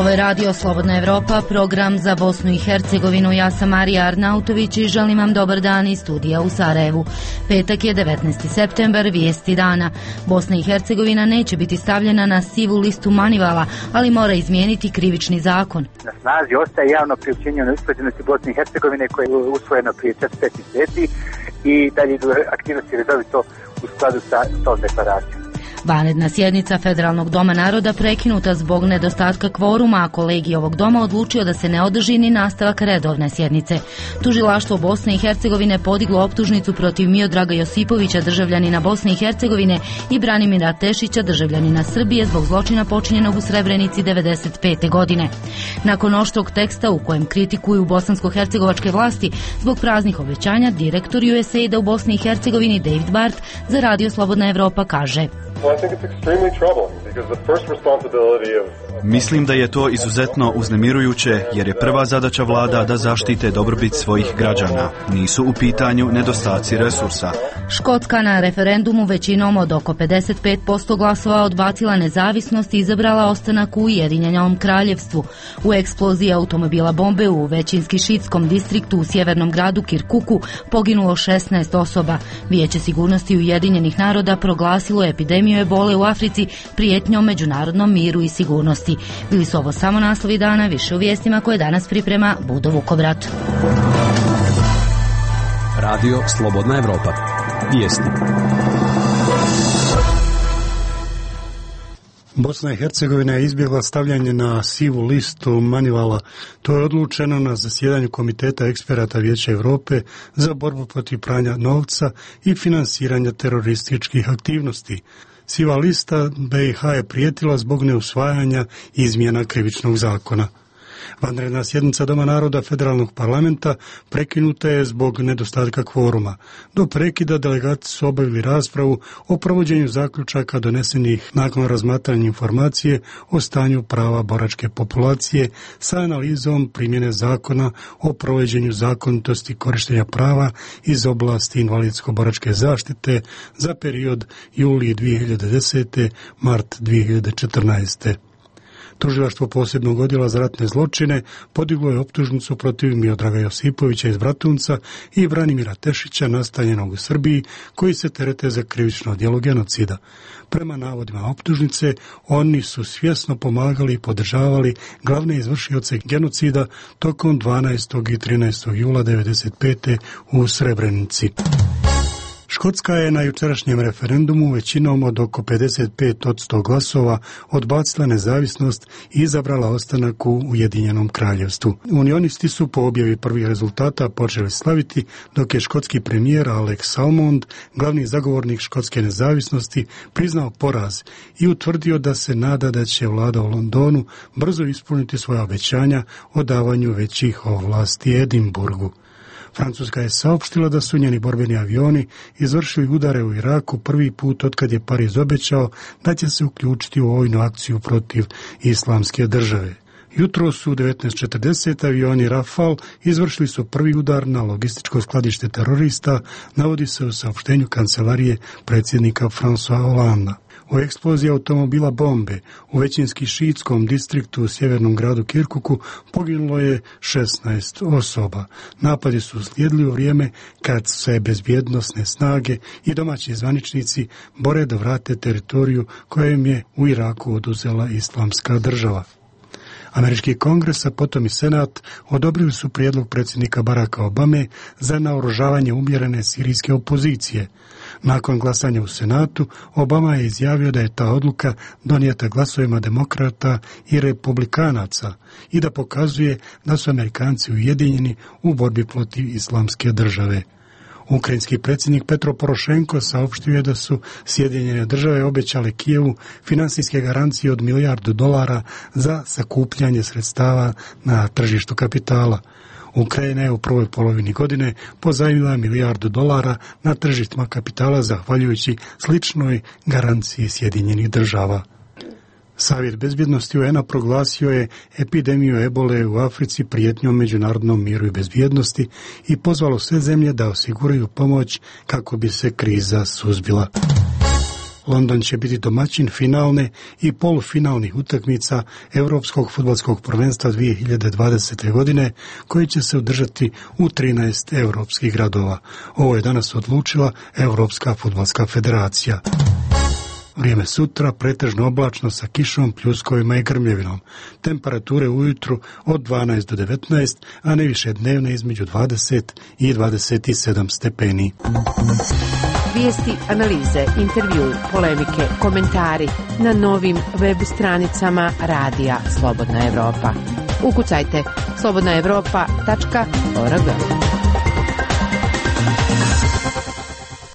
Ovo je Radio Slobodna Evropa, program za Bosnu i Hercegovinu. Ja sam Marija Arnautović i želim vam dobar dan iz studija u Sarajevu. Petak je 19. septembar, vijesti dana. Bosna i Hercegovina neće biti stavljena na sivu listu Manivala, ali mora izmijeniti krivični zakon. Na snazi ostaje javno priopćenje o neusklađenosti Bosne i Hercegovine koje je usvojeno prije 4-5 mjeseci i dalje idu aktivnosti redovito u skladu sa tom deklaracijom. Vanredna sjednica Federalnog doma naroda prekinuta zbog nedostatka kvoruma, a kolegij ovog doma odlučio da se ne održi ni nastavak redovne sjednice. Tužilaštvo Bosne i Hercegovine podiglo optužnicu protiv Miodraga Josipovića, državljanina Bosne i Hercegovine, i Branimira Tešića, državljanina Srbije, zbog zločina počinjenog u Srebrenici 1995. godine. Nakon oštrog teksta u kojem kritikuju bosansko-hercegovačke vlasti zbog praznih obećanja, direktor USAID-a u Bosni i Hercegovini David Bart za Radio Slobodna Evropa kaže: Mislim da je to izuzetno uznemirujuće jer je prva zadaća vlada da zaštite dobrobit svojih građana. Nisu u pitanju nedostaci resursa. Škotska na referendumu većinom od oko 55% glasova odbacila nezavisnost i izabrala ostanak u Ujedinjenom kraljevstvu. U eksploziji automobila bombe u većinski šiitskom distriktu u sjevernom gradu Kirkuku poginulo 16 osoba. Vijeće sigurnosti Ujedinjenih naroda proglasilo epidemiju ebole u Africi prijetnjom međunarodnom miru i sigurnosti. Bili su ovo samo naslovi dana, više u vijestima koje danas priprema Budo Vukovrat. Radio Slobodna Evropa. Vijesti. Bosna i Hercegovina je izbjegla stavljanje na sivu listu Manivala. To je odlučeno na zasjedanju Komiteta eksperata Vijeća Europe za borbu protiv pranja novca i finansiranja terorističkih aktivnosti. Siva lista BiH je prijetila zbog neusvajanja izmjena krivičnog zakona. Vanredna sjednica Doma naroda Federalnog parlamenta prekinuta je zbog nedostatka kvoruma. Do prekida delegati su obavili raspravu o provođenju zaključaka donesenih nakon razmatranja informacije o stanju prava boračke populacije sa analizom primjene zakona o provođenju zakonitosti korištenja prava iz oblasti invalidsko-boračke zaštite za period juli 2010. mart 2014. Tužilaštvo posebnog odjela za ratne zločine podiglo je optužnicu protiv Miodraga Josipovića iz Bratunca i Branimira Tešića, nastanjenog u Srbiji, koji se terete za krivično djelo genocida. Prema navodima optužnice, oni su svjesno pomagali i podržavali glavne izvršioce genocida tokom 12. i 13. jula 1995. u Srebrenici. Škotska je na jučerašnjem referendumu većinom od oko 55% glasova odbacila nezavisnost i izabrala ostanak u Ujedinjenom kraljevstvu. Unionisti su po objavi prvih rezultata počeli slaviti, dok je škotski premijer Alex Salmond, glavni zagovornik škotske nezavisnosti, priznao poraz i utvrdio da se nada da će vlada u Londonu brzo ispuniti svoja obećanja o davanju većih ovlasti Edinburgu. Francuska je saopštila da su njeni borbeni avioni izvršili udare u Iraku prvi put otkad je Pariz obećao da će se uključiti u vojnu akciju protiv Islamske države. Jutro su u 19:40 avioni Rafale izvršili su prvi udar na logističko skladište terorista, navodi se u saopštenju kancelarije predsjednika François Hollanda. U eksploziji automobila bombe u većinski šiitskom distriktu u sjevernom gradu Kirkuku poginulo je 16 osoba. Napadi su uslijedili u vrijeme kad se bezbjednosne snage i domaći zvaničnici bore da vrate teritoriju kojem je u Iraku oduzela Islamska država. Američki kongres, a potom i senat, odobrili su prijedlog predsjednika Baracka Obame za naoružavanje umjerene sirijske opozicije. Nakon glasanja u senatu, Obama je izjavio da je ta odluka donijeta glasovima demokrata i republikanaca i da pokazuje da su Amerikanci ujedinjeni u borbi protiv Islamske države. Ukrajinski predsjednik Petro Porošenko saopštio je da su Sjedinjene države obećale Kijevu financijske garancije od $1 milijardu za sakupljanje sredstava na tržištu kapitala. Ukrajina je u prvoj polovini godine pozajmila $1 milijardu na tržištima kapitala zahvaljujući sličnoj garanciji Sjedinjenih država. Savjet bezbjednosti UN-a proglasio je epidemiju ebole u Africi prijetnjom međunarodnom miru i bezbjednosti i pozvalo sve zemlje da osiguraju pomoć kako bi se kriza suzbila. London će biti domaćin finalne i polufinalnih utakmica Europskog fudbalskog prvenstva 2020. godine, koji će se održati u 13 europskih gradova. Ovo je danas odlučila Europska fudbalska federacija. Vrijeme sutra pretežno oblačno sa kišom, pljuskovima i grmljevinom. Temperature ujutru od 12 do 19, a najviše dnevne između 20 i 27 stepeni. Vijesti, analize, intervju, polemike, komentari na novim web stranicama Radija Slobodna Evropa. Ukucajte slobodnaevropa.org.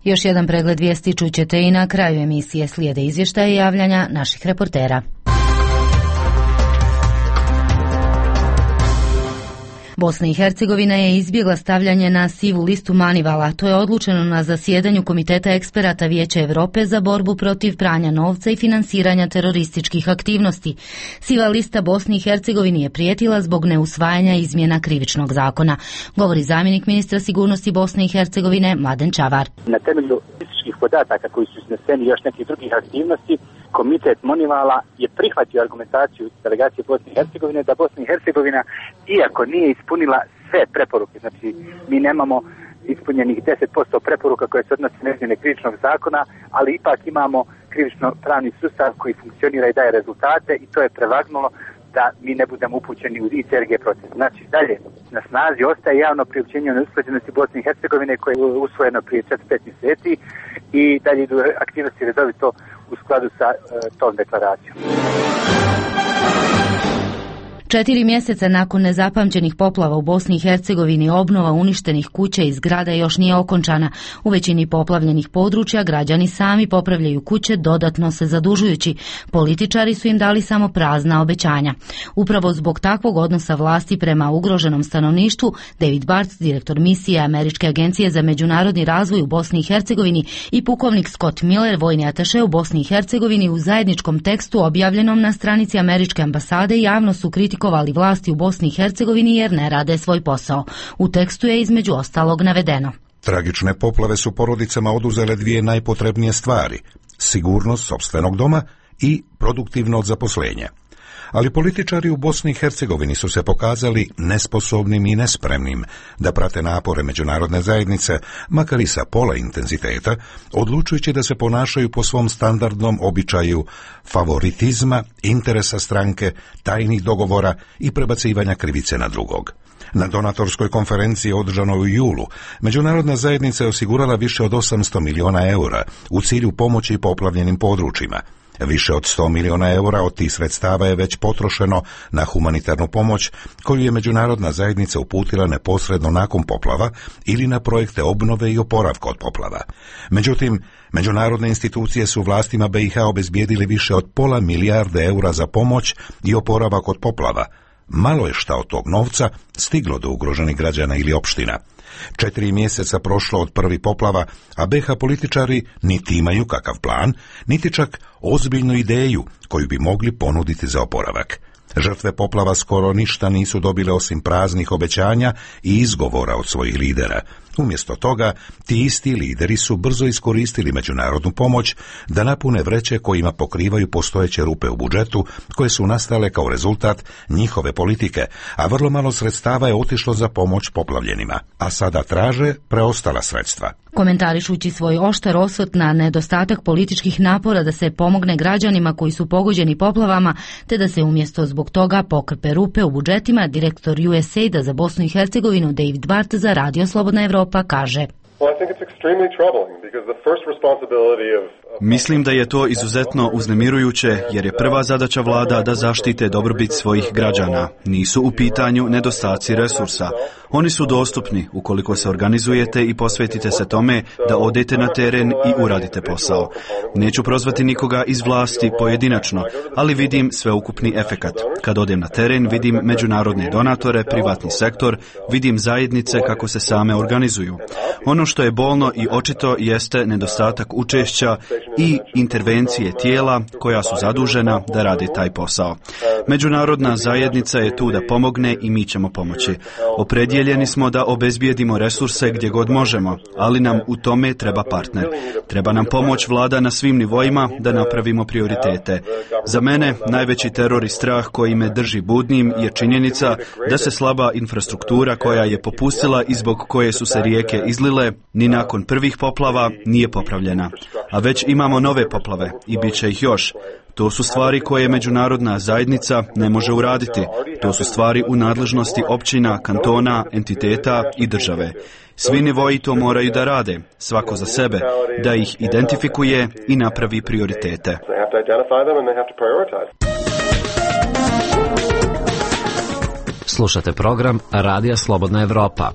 Još jedan pregled vijesti čućete i na kraju emisije. Slijede izvještaje i javljanja naših reportera. Bosna i Hercegovina je izbjegla stavljanje na sivu listu Manivala. To je odlučeno na zasjedanju Komiteta eksperata Vijeća Europe za borbu protiv pranja novca i finansiranja terorističkih aktivnosti. Siva lista Bosni i Hercegovini je prijetila zbog neusvajanja izmjena krivičnog zakona, govori zamjenik ministra sigurnosti Bosne i Hercegovine Mladen Čavar. Na temelju statističkih podataka koji su izneseni još nekih drugih aktivnosti, Komitet Manivala je prihvatio argumentaciju delegacije Bosne i Hercegovine da Bosna i Hercegovina, iako nije ispunila sve preporuke, znači mi nemamo ispunjenih 10% preporuka koje se odnose na izmjene krivičnog zakona, ali ipak imamo krivično-pravni sustav koji funkcionira i daje rezultate i to je prevagnulo da mi ne budemo upućeni u ICRG proces. Znači dalje na snazi ostaje javno priopćenje o neusklađenosti Bosne i Hercegovine koje je usvojeno prije 4-5 mjeseci i dalje idu aktivnosti redovito u skladu sa tom deklaracijom. 4 mjeseca nakon nezapamćenih poplava u Bosni i Hercegovini obnova uništenih kuća i zgrada još nije okončana. U većini poplavljenih područja građani sami popravljaju kuće, dodatno se zadužujući. Političari su im dali samo prazna obećanja. Upravo zbog takvog odnosa vlasti prema ugroženom stanovništvu, David Bartz, direktor misije Američke agencije za međunarodni razvoj u Bosni i Hercegovini, i pukovnik Scott Miller, vojni ataše u Bosni i Hercegovini, u zajedničkom tekstu objavljenom na stranici Američke ambasade javno su kritikovali vlasti u Bosni i Hercegovini jer ne rade svoj posao. U tekstu je između ostalog navedeno: tragične poplave su porodicama oduzele dvije najpotrebnije stvari: sigurnost sopstvenog doma i produktivno zaposlenje. Ali političari u Bosni i Hercegovini su se pokazali nesposobnim i nespremnim da prate napore međunarodne zajednice, makar i sa pola intenziteta, odlučujući da se ponašaju po svom standardnom običaju favoritizma, interesa stranke, tajnih dogovora i prebacivanja krivice na drugog. Na donatorskoj konferenciji održanoj u julu, međunarodna zajednica je osigurala više od 800 miliona eura u cilju pomoći poplavljenim područjima. Više od 100 miliona eura od tih sredstava je već potrošeno na humanitarnu pomoć koju je međunarodna zajednica uputila neposredno nakon poplava ili na projekte obnove i oporavka od poplava. Međutim, međunarodne institucije su vlastima BiH obezbijedili više od pola milijarde eura za pomoć i oporavak od poplava. Malo je šta od tog novca stiglo do ugroženih građana ili opština. 4 mjeseca prošlo od prvih poplava, a BiH političari niti imaju kakav plan, niti čak ozbiljnu ideju koju bi mogli ponuditi za oporavak. Žrtve poplava skoro ništa nisu dobile osim praznih obećanja i izgovora od svojih lidera. Umjesto toga, ti isti lideri su brzo iskoristili međunarodnu pomoć da napune vreće kojima pokrivaju postojeće rupe u budžetu koje su nastale kao rezultat njihove politike, a vrlo malo sredstava je otišlo za pomoć poplavljenima, a sada traže preostala sredstva. Komentarišući svoj oštar osvrt na nedostatak političkih napora da se pomogne građanima koji su pogođeni poplavama, te da se umjesto zbog toga pokrpe rupe u budžetima, direktor USAID-a za Bosnu i Hercegovinu David Bartz za Radio Slobodna Evropa kaže: Mislim da je to izuzetno uznemirujuće jer je prva zadaća vlada da zaštite dobrobit svojih građana. Nisu u pitanju nedostaci resursa. Oni su dostupni ukoliko se organizujete i posvetite se tome da odete na teren i uradite posao. Neću prozvati nikoga iz vlasti pojedinačno, ali vidim sveukupni efekat. Kad odem na teren, vidim međunarodne donatore, privatni sektor, vidim zajednice kako se same organizuju. Ono što je bolno i očito jeste nedostatak učešća i intervencije tijela koja su zadužena da rade taj posao. Međunarodna zajednica je tu da pomogne i mi ćemo pomoći. Opredjeljeni smo da obezbijedimo resurse gdje god možemo, ali nam u tome treba partner. Treba nam pomoć vlada na svim nivoima da napravimo prioritete. Za mene najveći teror i strah koji me drži budnim je činjenica da se slaba infrastruktura koja je popustila i zbog koje su se rijeke izlile, ni nakon prvih poplava nije popravljena. A već imamo nove poplave i bit će ih još. To su stvari koje međunarodna zajednica ne može uraditi. To su stvari u nadležnosti općina, kantona, entiteta i države. Svi nivoji to moraju da rade, svako za sebe, da ih identifikuje i napravi prioritete. Slušate program Radija Slobodna Evropa.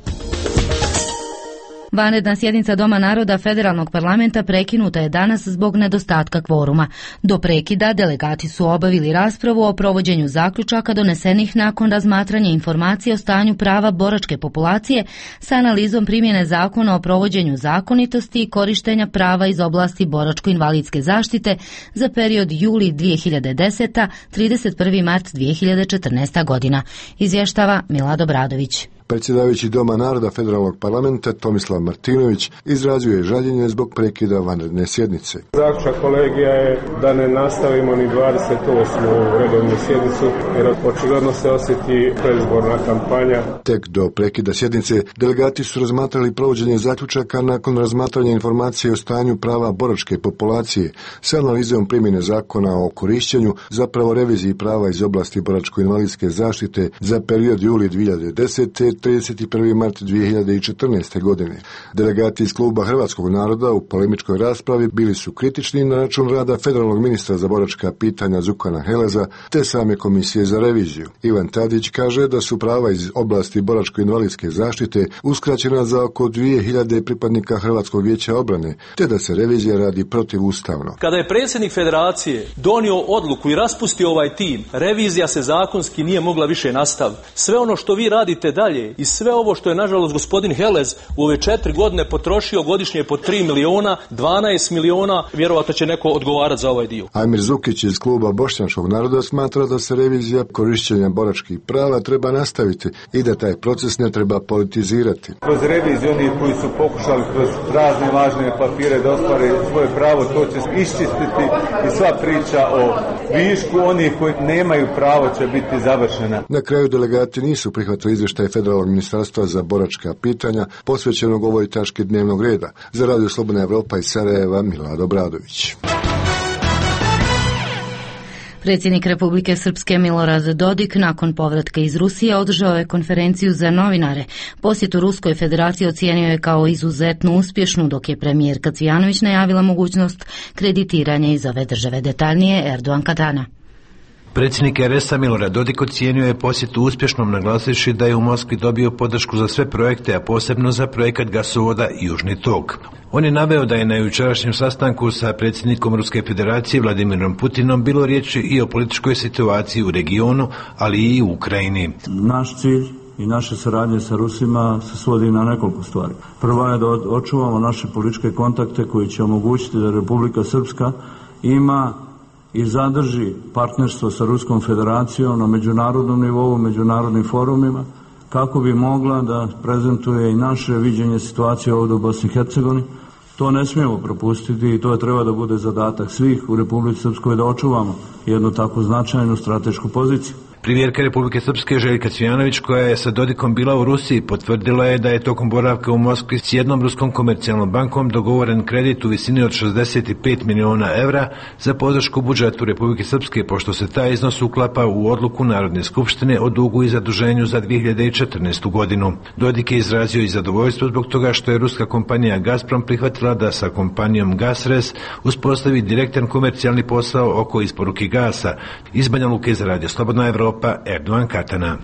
Vanredna sjednica Doma naroda Federalnog parlamenta prekinuta je danas zbog nedostatka kvoruma. Do prekida delegati su obavili raspravu o provođenju zaključaka donesenih nakon razmatranja informacije o stanju prava boračke populacije sa analizom primjene zakona o provođenju zakonitosti i korištenja prava iz oblasti boračko-invalidske zaštite za period juli 2010. 31. mart 2014. godina. Izvještava Milad Obradović. Predsjedavajući Doma naroda Federalnog parlamenta Tomislav Martinović izrazio žaljenje zbog prekida vanredne sjednice. Zaključak kolegija je da ne nastavimo ni 28. redovnu sjednicu jer očigledno se osjeti predizborna kampanja. Tek do prekida sjednice delegati su razmatrali provođenje zaključaka nakon razmatranja informacije o stanju prava boračke populacije sa analizom primjene zakona o korišćenju, zapravo reviziji prava iz oblasti boračko-invalidske zaštite za period juli 2010. 31. mart 2014. godine. Delegati iz kluba Hrvatskog naroda u polemičkoj raspravi bili su kritični na račun rada federalnog ministra za boračka pitanja Zukana Heleza te same komisije za reviziju. Ivan Tadić kaže da su prava iz oblasti boračko-invalidske zaštite uskraćena za oko 2000 pripadnika Hrvatskog vijeća obrane, te da se revizija radi protivustavno. Kada je predsjednik federacije donio odluku i raspustio ovaj tim, revizija se zakonski nije mogla više nastaviti. Sve ono što vi radite dalje i sve ovo što je nažalost gospodin Helez u ove 4 godine potrošio godišnje po 3 miliona, 12 miliona, vjerovatno će neko odgovarati za ovaj dio. Amir Zukić iz kluba Bošnjačkog naroda smatra da se revizija korišćenja boračkih prava treba nastaviti i da taj proces ne treba politizirati. Kroz reviziju oni koji su pokušali kroz razne važne papire da ostvare svoje pravo, to će iščistiti i sva priča o višku onih koji nemaju pravo će biti završena. Na kraju delegati nisu prihvatili izvještaj Federalnog ministarstva za boračka pitanja posvećenog ovoj tački dnevnog reda. Za Radio Slobodna Evropa iz Sarajeva, Milad Obradović. Predsjednik Republike Srpske Milorad Dodik nakon povratka iz Rusije održao je konferenciju za novinare. Posjetu Ruskoj federaciji ocijenio je kao izuzetno uspješnu, dok je premijerka Cvijanović najavila mogućnost kreditiranja iz ove države. Detaljnije Erdogan Katana. Predsjednik RS-a Milorad Dodik ocijenio je posjetu uspješnom, naglasivši da je u Moskvi dobio podršku za sve projekte, a posebno za projekat gasovoda Južni tok. On je naveo da je na jučerašnjem sastanku sa predsjednikom Ruske federacije Vladimirom Putinom bilo riječi i o političkoj situaciji u regionu, ali i u Ukrajini. Naš cilj i naše saradnje sa Rusima se svodi na nekoliko stvari. Prva je da očuvamo naše političke kontakte koji će omogućiti da Republika Srpska ima i zadrži partnerstvo sa Ruskom federacijom na međunarodnom nivou, međunarodnim forumima, kako bi mogla da prezentuje i naše viđenje situacije ovdje u Bosni i Hercegovini. To ne smijemo propustiti i to treba da bude zadatak svih u Republici Srpskoj da očuvamo jednu tako značajnu stratešku poziciju. Premijerka Republike Srpske Željka Cvijanović, koja je sa Dodikom bila u Rusiji, potvrdila je da je tokom boravka u Moskvi s jednom ruskom komercijalnom bankom dogovoren kredit u visini od 65 miliona evra za podršku budžetu Republike Srpske, pošto se taj iznos uklapa u odluku Narodne skupštine o dugu i zaduženju za 2014. godinu. Dodik je izrazio i zadovoljstvo zbog toga što je ruska kompanija Gazprom prihvatila da sa kompanijom Gasres uspostavi direktan komercijalni posao oko isporuke gasa. Iz Banja Luke za Radio Slobodna Evropa, Evropa Erdogan Katana.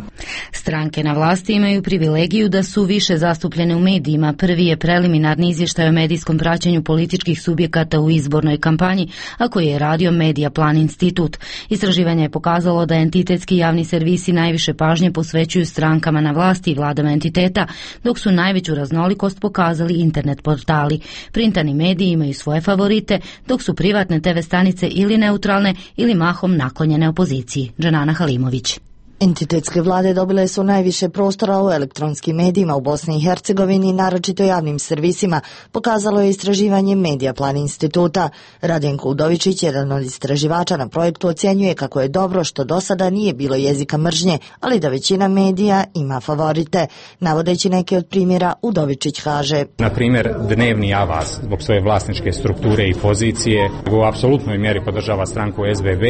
Stranke na vlasti imaju privilegiju da su više zastupljene u medijima. Prvi je preliminarni izvještaj o medijskom praćenju političkih subjekata u izbornoj kampanji, a koji je radio Media Plan Institut. Istraživanje je pokazalo da entitetski javni servisi najviše pažnje posvećuju strankama na vlasti i vladama entiteta, dok su najveću raznolikost pokazali internet portali. Printani mediji imaju svoje favorite, dok su privatne TV stanice ili neutralne ili mahom naklonjene opoziciji. Dženana Halimović. Entitetske vlade dobile su najviše prostora u elektronskim medijima u Bosni i Hercegovini, naročito javnim servisima, pokazalo je istraživanje Media Plan Instituta. Radenko Udovičić, jedan od istraživača na projektu, ocjenjuje kako je dobro što do sada nije bilo jezika mržnje, ali da većina medija ima favorite. Navodeći neke od primjera, Udovičić kaže: na primjer, dnevni Avaz zbog svoje vlasničke strukture i pozicije u apsolutnoj mjeri podržava stranku SBB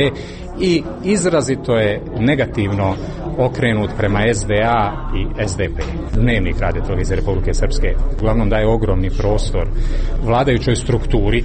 i izrazito je negativno okrenut prema SDA i SDP. Dnevnik Radio-televizije Republike Srpske uglavnom daje ogromni prostor vladajućoj strukturi,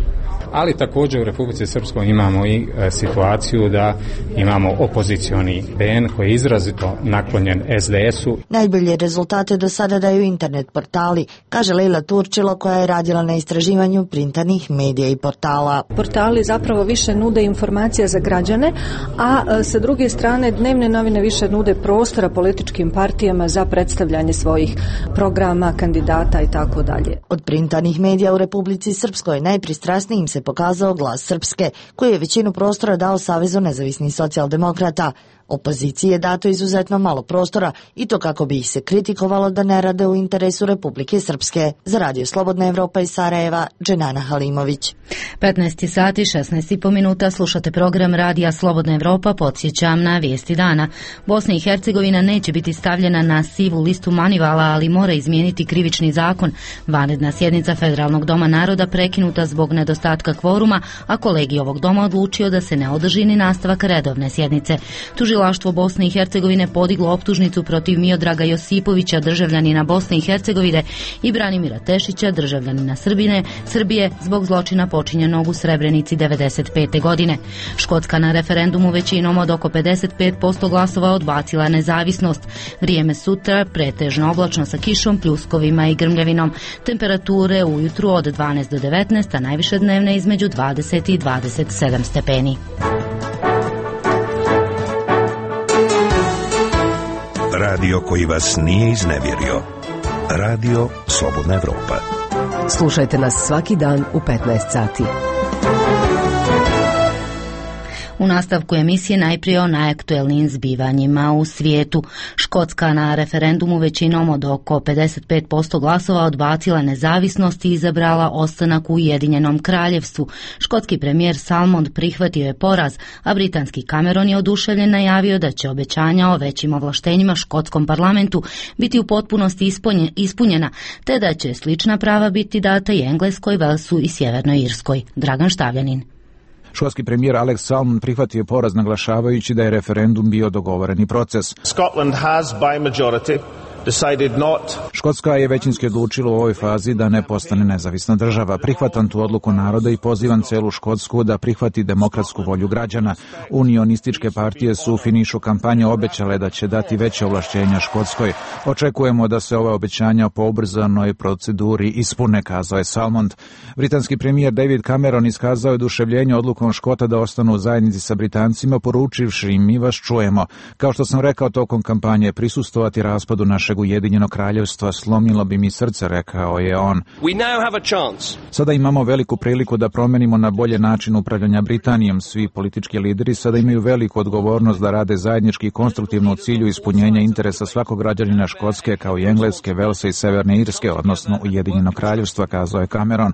ali također u Republici Srpskoj imamo i situaciju da imamo opozicioni BN koji je izrazito naklonjen SDS-u. Najbolje rezultate do sada daju internet portali, kaže Lejla Turčilo, koja je radila na istraživanju printanih medija i portala. Portali zapravo više nude informacija za građane, a sa druge strane dnevne novine više nude prostora političkim partijama za predstavljanje svojih programa, kandidata i tako dalje. Od printanih medija u Republici Srpskoj najpristrasnijim se pokazao Glas Srpske, koji je većinu prostora dao Savezu nezavisnih socijaldemokrata. Opoziciji je dato izuzetno malo prostora i to kako bi ih se kritikovalo da ne rade u interesu Republike Srpske. Za Radio Slobodna Evropa iz Sarajeva, Dženana Halimović. 15 sati 16,5 minuta, slušate program Radija Slobodna Evropa. Podsjećam na vijesti dana. Bosna i Hercegovina neće biti stavljena na sivu listu Manivala, ali mora izmijeniti krivični zakon. Vanredna sjednica Federalnog doma naroda prekinuta zbog nedostatka kvoruma, a kolegij ovog doma odlučio da se ne održi ni nastavak redovne sjednice. Tužilaštvo Bosne i Hercegovine podiglo optužnicu protiv Miodraga Josipovića, državljanina Bosne i Hercegovine, i Branimira Tešića, državljanina Srbije, zbog zločina počinjenog u Srebrenici 1995. godine. Škotska na referendumu većinom od oko 55% glasova odbacila nezavisnost. Vrijeme sutra pretežno oblačno sa kišom, pljuskovima i grmljavinom. Temperature ujutru od 12 do 19, a najviše dnevne između 20 i 27 stepeni. Radio koji vas nije iznevjerio. Radio Slobodna Evropa. Slušajte nas svaki dan u 15 sati. U nastavku emisije najprije o najaktuelnijim zbivanjima u svijetu. Škotska na referendumu većinom od oko 55% glasova odbacila nezavisnost i izabrala ostanak u Ujedinjenom kraljevstvu. Škotski premijer Salmond prihvatio je poraz, a britanski Cameron je oduševljen najavio da će obećanja o većim ovlaštenjima škotskom parlamentu biti u potpunosti ispunjena, te da će slična prava biti data i Engleskoj, Velsu i Sjevernoj Irskoj. Dragan Štavljanin. Škotski premijer Alex Salmond prihvatio poraz naglašavajući da je referendum bio dogovoreni proces. Scotland has by majority decided not. Škotska je većinski odlučila u ovoj fazi da ne postane nezavisna država. Prihvatam tu odluku naroda i pozivam celu Škotsku da prihvati demokratsku volju građana. Unionističke partije su u finišu kampanje obećale da će dati veće ovlašćenja Škotskoj. Očekujemo da se ove obećanja po ubrzanoj proceduri ispune, kazao je Salmond. Britanski premijer David Cameron iskazao je oduševljenje odlukom Škota da ostanu u zajednici sa Britancima, poručivši im: mi vas čujemo. Kao što sam rekao tokom kampanje, prisustvovati raspadu našeg Ujedinjenog kraljevstva slomilo bi mi srce, rekao je on. Sada imamo veliku priliku da promenimo na bolje način upravljanja Britanijom. Svi politički lideri sada imaju veliku odgovornost da rade zajednički i konstruktivno u cilju ispunjenja interesa svakog građanina Škotske, kao i Engleske, Velsa i Severne Irske, odnosno Ujedinjenog kraljevstva, kazao je Cameron.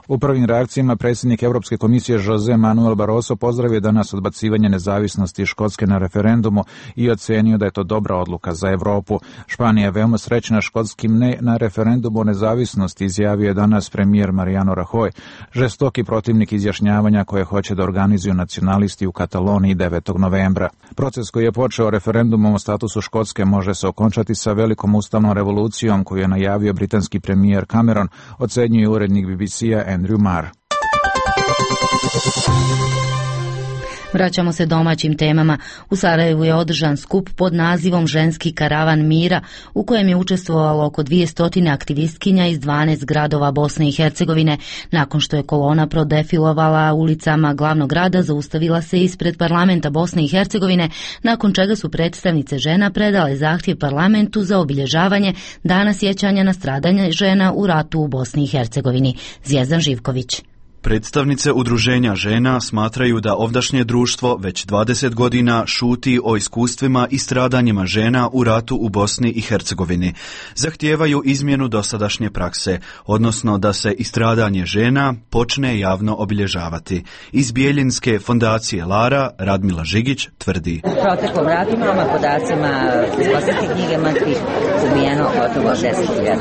U prvim reakcijama predsjednik Europske komisije Jose Manuel Barroso pozdravio danas odbacivanje nezavisnosti Škotske na referendumu i ocenio da je to dobra odluka za Evropu. Španija je veoma srećna škotskim ne na referendumu o nezavisnosti, izjavio je danas premijer Mariano Rajoy, žestoki protivnik izjašnjavanja koje hoće da organizuju nacionalisti u Kataloniji 9. novembra. Proces koji je počeo referendumom o statusu Škotske može se okončati sa velikom ustavnom revolucijom koju je najavio britanski premijer Cameron, ocenjuje urednik BBC-a Andrew Marr. Vraćamo se domaćim temama. U Sarajevu je održan skup pod nazivom Ženski karavan mira, u kojem je učestvovalo oko 200 aktivistkinja iz 12 gradova Bosne i Hercegovine. Nakon što je kolona prodefilovala ulicama glavnog grada, zaustavila se ispred parlamenta Bosne i Hercegovine, nakon čega su predstavnice žena predale zahtjev parlamentu za obilježavanje Dana sjećanja na stradanje žena u ratu u Bosni i Hercegovini. Zvijezdan Živković. Predstavnice udruženja žena smatraju da ovdašnje društvo već 20 godina šuti o iskustvima i stradanjima žena u ratu u Bosni i Hercegovini. Zahtijevaju izmjenu dosadašnje prakse, odnosno da se i stradanje žena počne javno obilježavati. Iz Bijeljinske fondacije Lara Radmila Žigić tvrdi: Proteklom ratu imamo podacima iz Bosanske knjige mrtvih ubijeno gotovo 10.000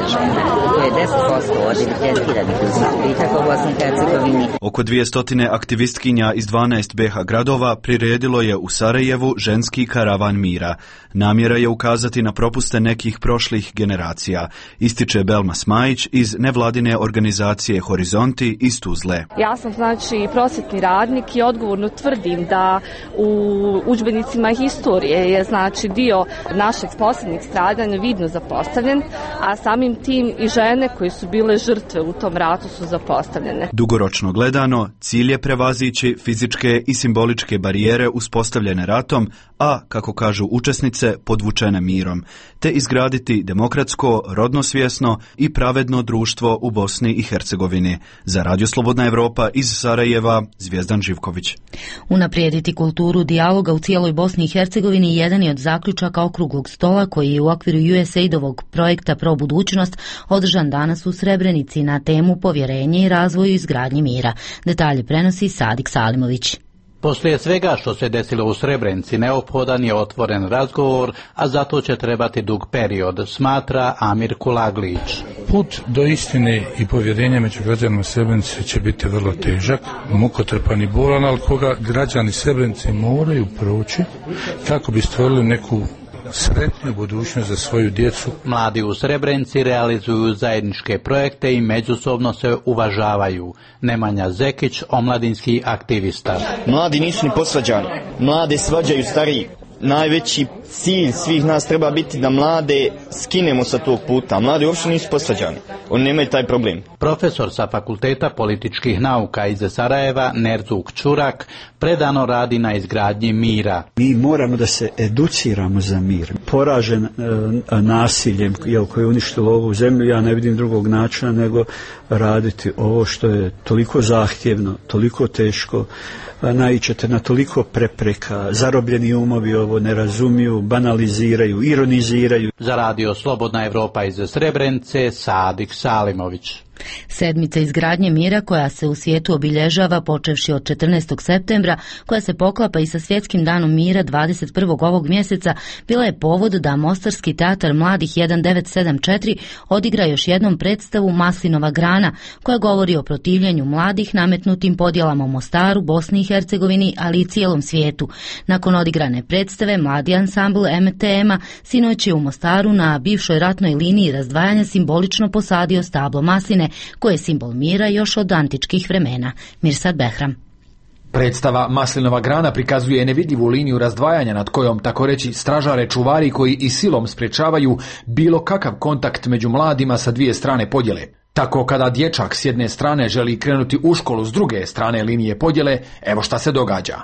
žena. To je 10% od evidentiranih ubitaka u Bosni i Hercegovini. Oko 200 aktivistkinja iz 12 BiH gradova priredilo je u Sarajevu ženski karavan mira. Namjera je ukazati na propuste nekih prošlih generacija, ističe Belma Smajić iz nevladine organizacije Horizonti iz Tuzle. Ja sam prosvjetni radnik i odgovorno tvrdim da u udžbenicima historije je dio našeg posljednjeg stradanja vidno zapostavljen, a samim tim i žene koje su bile žrtve u tom ratu su zapostavljene. Dugoročno gledano, cilj je prevazići fizičke i simboličke barijere uspostavljene ratom, a, kako kažu učesnice, podvučene mirom, te izgraditi demokratsko, rodnosvjesno i pravedno društvo u Bosni i Hercegovini. Za Radio Slobodna Evropa iz Sarajeva, Zvijezdan Živković. Unaprijediti kulturu dijaloga u cijeloj Bosni i Hercegovini jedan je od zaključaka okruglog stola koji je u okviru USAID-ovog projekta Pro budućnost održan danas u Srebrenici na temu povjerenje i razvoju izgradnje mira. Detalje prenosi Sadik Salimović. Poslije svega što se desilo u Srebrenici, neophodan je otvoren razgovor, a zato će trebati dug period, smatra Amir Kulaglić. Put do istine i povjerenja među građanima Srebrenice će biti vrlo težak, mukotrpan i bolan, ali koga građani Srebrenice moraju proći kako bi stvorili neku sretnu budućnost za svoju djecu. Mladi u Srebrenici realizuju zajedničke projekte i međusobno se uvažavaju. Nemanja Zekić, omladinski aktivista. Mladi nisu ni posvađani. Mlade svađaju stariji. Najveći cilj svih nas treba biti da mlade skinemo sa tog puta. Mladi uopšte nisu posvađani. Oni nemaju taj problem. Profesor sa Fakulteta političkih nauka iz Sarajeva, Nerzuk Čurak, predano radi na izgradnji mira. Mi moramo da se educiramo za mir. Poražen nasiljem koje je uništilo ovu zemlju, ja ne vidim drugog načina nego raditi ovo što je toliko zahtjevno, toliko teško, naiđete na toliko prepreka, zarobljeni umovi ovo ne razumiju, banaliziraju, ironiziraju. Za Radio Slobodna Evropa iz Srebrenice, Sadik Salimović. Sedmica izgradnje mira koja se u svijetu obilježava počevši od 14. septembra, koja se poklapa i sa Svjetskim danom mira 21. ovog mjeseca, bila je povod da Mostarski teatar mladih 1974 odigra još jednom predstavu Maslinova grana, koja govori o protivljenju mladih nametnutim podjelama u Mostaru, Bosni i Hercegovini, ali i cijelom svijetu. Nakon odigrane predstave, mladi ansambl MTM-a sinoć je u Mostaru na bivšoj ratnoj liniji razdvajanja simbolično posadio stablo masline, koje je simbol mira još od antičkih vremena. Mirsad Behram. Predstava Maslinova grana prikazuje nevidljivu liniju razdvajanja nad kojom, tako reći, stražare čuvari koji i silom sprečavaju bilo kakav kontakt među mladima sa dvije strane podjele. Tako kada dječak s jedne strane želi krenuti u školu s druge strane linije podjele, evo šta se događa.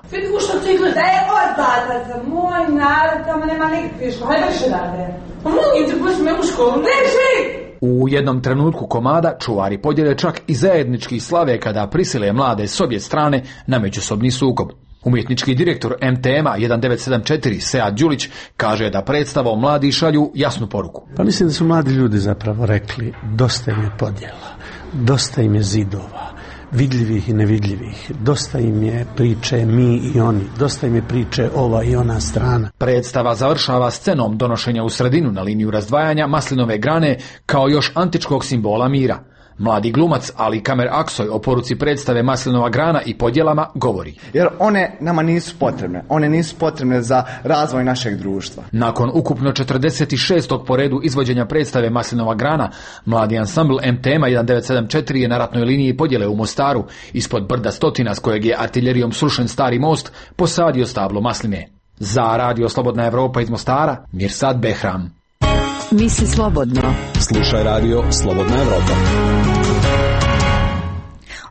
Moj narod, tamo nema nikakve škole, hajde više dade. Molim te, pusti me u školu, neži! U jednom trenutku komada čuvari podjele čak i zajednički slave kada prisile mlade s obje strane na međusobni sukob. Umjetnički direktor MTM-a 1974 Sead Đulić kaže da predstavom mladi šalju jasnu poruku. Pa mislim da su mladi ljudi zapravo rekli dosta im je podjela, dosta im je zidova, vidljivih i nevidljivih, dosta im je priče mi i oni, dosta im je priče ova i ona strana. Predstava završava scenom donošenja u sredinu na liniju razdvajanja Maslinove grane kao još antičkog simbola mira. Mladi glumac Ali Kamer Aksoy o poruci predstave Maslinova grana i podjelama govori. Jer one nama nisu potrebne. One nisu potrebne za razvoj našeg društva. Nakon ukupno 46. po redu izvođenja predstave Maslinova grana, mladi ansambl MTM 1974 je na ratnoj liniji podjele u Mostaru, ispod brda Stotina s kojeg je artiljerijom srušen stari most, posadio stablo masline. Za Radio Slobodna Evropa iz Mostara, Mirsad Behram. Misli slobodno. Slušaj Radio Slobodna Evropa.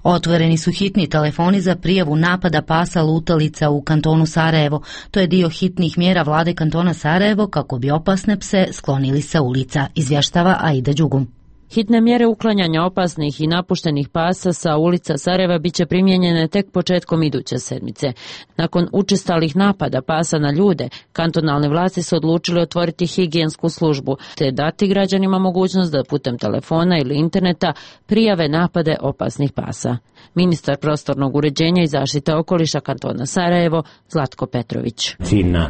Otvoreni su hitni telefoni za prijavu napada pasa lutalica u kantonu Sarajevo. To je dio hitnih mjera vlade kantona Sarajevo kako bi opasne pse sklonili sa ulica, izvještava Aida Đugum. Hitne mjere uklanjanja opasnih i napuštenih pasa sa ulica Sarajeva biće primijenjene tek početkom iduće sedmice. Nakon učestalih napada pasa na ljude, kantonalne vlasti su odlučili otvoriti higijensku službu te dati građanima mogućnost da putem telefona ili interneta prijave napade opasnih pasa. Ministar prostornog uređenja i zaštite okoliša kantona Sarajevo, Zlatko Petrović. Ciljna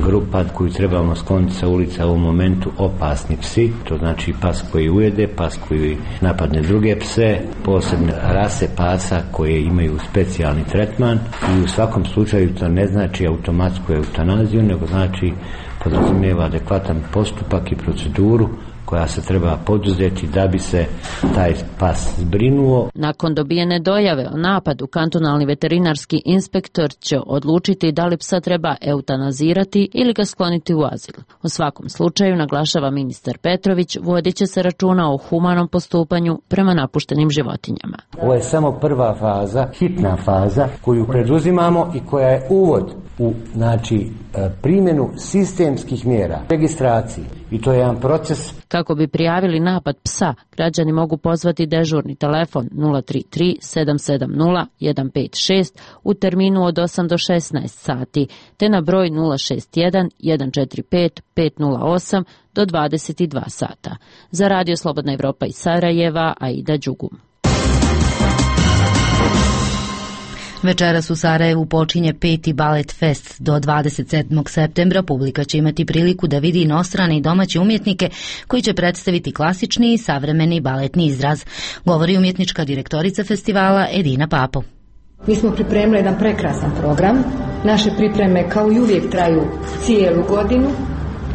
grupa koju trebamo skloniti sa ulica u momentu opasni psi, to znači pas koji ujede, pas koji napadne druge pse, posebne rase pasa koje imaju specijalni tretman i u svakom slučaju to ne znači automatsku eutanaziju, nego znači podrazumijeva adekvatan postupak i proceduru koja se treba poduzeti da bi se taj pas zbrinuo. Nakon dobijene dojave o napadu, kantonalni veterinarski inspektor će odlučiti da li psa treba eutanazirati ili ga skloniti u azil. U svakom slučaju, naglašava ministar Petrović, vodit će se računa o humanom postupanju prema napuštenim životinjama. Ovo je samo prva faza, hitna faza koju preduzimamo i koja je uvod u primjenu sistemskih mjera, registraciji. I to je jedan proces. Kako bi prijavili napad psa, građani mogu pozvati dežurni telefon 033 770 156 u terminu od 8 do 16 sati, te na broj 061 145 508 do 22 sata. Za Radio Slobodna Evropa iz Sarajeva, Aida Đugum. Večeras u Sarajevu počinje 5. Balet Fest. Do 27. septembra publika će imati priliku da vidi inostrane i domaće umjetnike koji će predstaviti klasični i savremeni baletni izraz, govori umjetnička direktorica festivala Edina Papo. Mi smo pripremili jedan prekrasan program. Naše pripreme kao i uvijek traju cijelu godinu.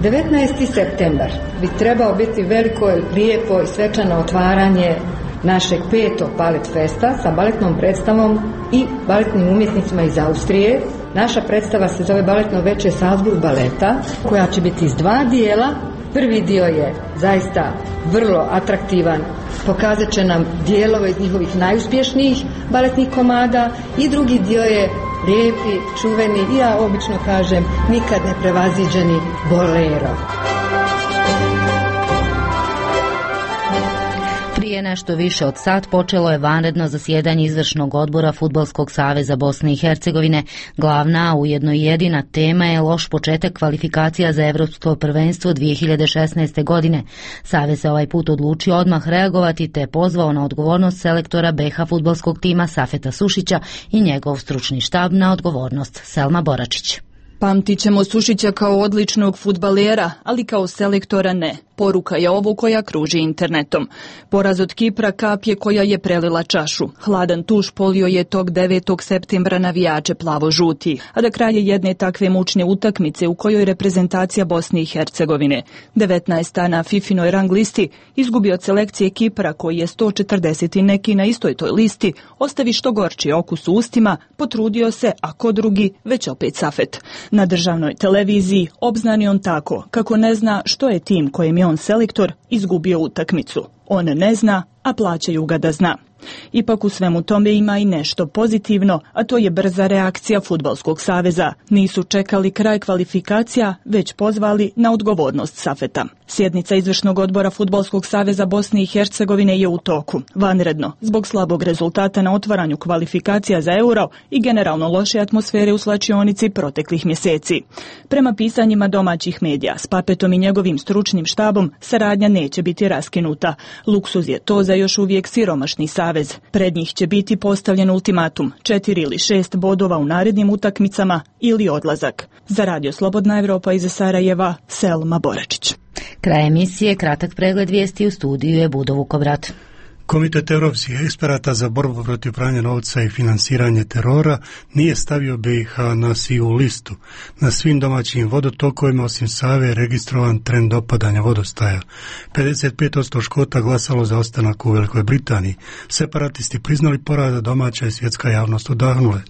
19. septembar bi trebao biti veliko, lijepo i svečano otvaranje našeg 5. Balet Festa sa baletnom predstavom i baletnim umjetnicima iz Austrije. Naša predstava se zove Baletno veče Salzburg baleta, koja će biti iz dva dijela. Prvi dio je zaista vrlo atraktivan, pokazat će nam dijelove iz njihovih najuspješnijih baletnih komada i drugi dio je lijepi, čuveni i ja obično kažem nikad ne prevaziđeni bolero. Prije nešto više od sat počelo je vanredno zasjedanje izvršnog odbora Fudbalskog saveza Bosne i Hercegovine. Glavna, a ujedno i jedina tema je loš početak kvalifikacija za Evropsko prvenstvo 2016. godine. Savez se ovaj put odlučio odmah reagovati te pozvao na odgovornost selektora BiH fudbalskog tima Safeta Sušića i njegov stručni štab na odgovornost. Selma Boračić. Pamtit ćemo Sušića kao odličnog fudbalera, ali kao selektora ne. Poruka je ovo koja kruži internetom. Poraz od Kipra kap je koja je prelila čašu. Hladan tuš polio je tog 9. septembra navijače plavo-žuti, a da kraje jedne takve mučne utakmice u kojoj reprezentacija Bosne i Hercegovine, 19. na Fifinoj rang listi, izgubi od selekcije Kipra koji je 140 i neki na istoj toj listi, ostavi što gorči okus u ustima, potrudio se, a ko drugi, već opet Safet. Na državnoj televiziji obznani on tako, kako ne zna što je tim kojem je on selektor izgubio utakmicu. On ne zna, a plaćaju ga da zna. Ipak u svemu tome ima i nešto pozitivno, a to je brza reakcija Fudbalskog saveza. Nisu čekali kraj kvalifikacija, već pozvali na odgovornost Safeta. Sjednica izvršnog odbora Fudbalskog saveza Bosne i Hercegovine je u toku. Vanredno, zbog slabog rezultata na otvaranju kvalifikacija za Euro i generalno loše atmosfere u slačionici proteklih mjeseci. Prema pisanjima domaćih medija, s Papetom i njegovim stručnim štabom saradnja neće biti raskinuta. Luksuz je to za još uvijek siromašni savez. Pred njih će biti postavljen ultimatum, 4 ili 6 bodova u narednim utakmicama ili odlazak. Za Radio Slobodna Evropa iz Sarajeva, Selma Boračić. Kraj emisije, kratak pregled vijesti, u studiju je Budo Vukovrat. Komitet europskih eksperata za borbu protiv pranja novca i finansiranje terora nije stavio BiH na sivu listu. Na svim domaćim vodotokovima osim Save je registrovan trend opadanja vodostaja. 55% Škota glasalo za ostanak u Velikoj Britaniji. Separatisti priznali poraz, a domaća i svjetska javnost odahnule.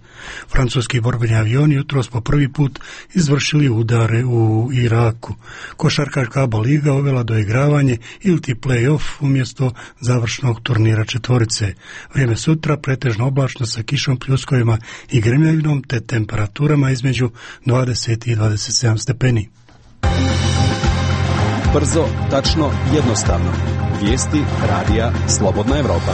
Francuski borbeni avioni jutros po prvi put izvršili udare u Iraku. Košarkaška ABA liga uvela doigravanje iliti play-off umjesto završnog turnira četvorice. Vrijeme sutra pretežno oblačno sa kišom, pljuskovima i grmljavinom te temperaturama između 20 i 27 stepeni. Brzo, tačno, jednostavno. Vijesti radija Slobodna Evropa.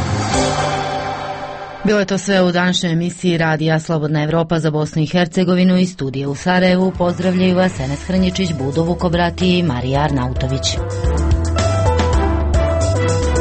Bilo je to sve u današnjoj emisiji Radija Slobodna Evropa za Bosnu i Hercegovinu i studije u Sarajevu. Pozdravljaju vas Enes Hrnjičić, Budo Vukobrati i Marija Arnautović.